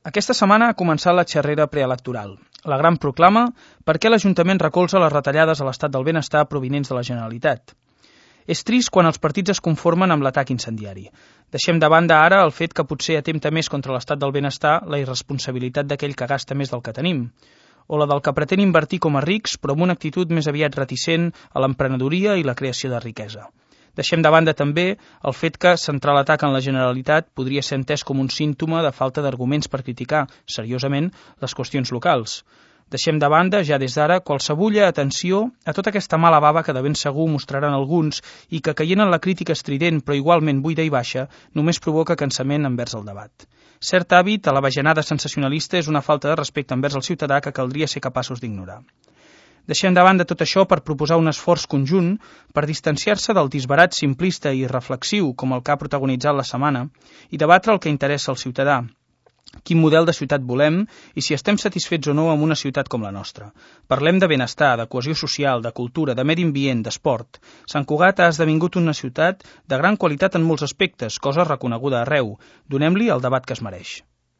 Aquesta setmana ha començat la xerrera preelectoral, la gran proclama per què l'Ajuntament recolza les retallades a l'estat del benestar provinents de la Generalitat. És trist quan els partits es conformen amb l'atac incendiari. Deixem de banda ara el fet que potser atempta més contra l'estat del benestar la irresponsabilitat d'aquell que gasta més del que tenim, o la del que pretén invertir com a rics però amb una actitud més aviat reticent a l'emprenedoria i la creació de riquesa. Deixem de banda també el fet que centrar l'atac en la Generalitat podria ser entès com un símptoma de falta d'arguments per criticar, seriosament, les qüestions locals. Deixem de banda, ja des d'ara, qualsevulla atenció a tota aquesta mala bava que de ben segur mostraran alguns i que, caient en la crítica estrident però igualment buida i baixa, només provoca cansament envers el debat. Cert hàbit a la bajanada sensacionalista és una falta de respecte envers el ciutadà que caldria ser capaços d'ignorar. Deixem de banda tot això per proposar un esforç conjunt per distanciar-se del disbarat simplista i reflexiu com el que ha protagonitzat la setmana i debatre el que interessa al ciutadà. Quin model de ciutat volem i si estem satisfets o no amb una ciutat com la nostra. Parlem de benestar, de cohesió social, de cultura, de medi ambient, d'esport. Sant Cugat ha esdevingut una ciutat de gran qualitat en molts aspectes, cosa reconeguda arreu. Donem-li el debat que es mereix.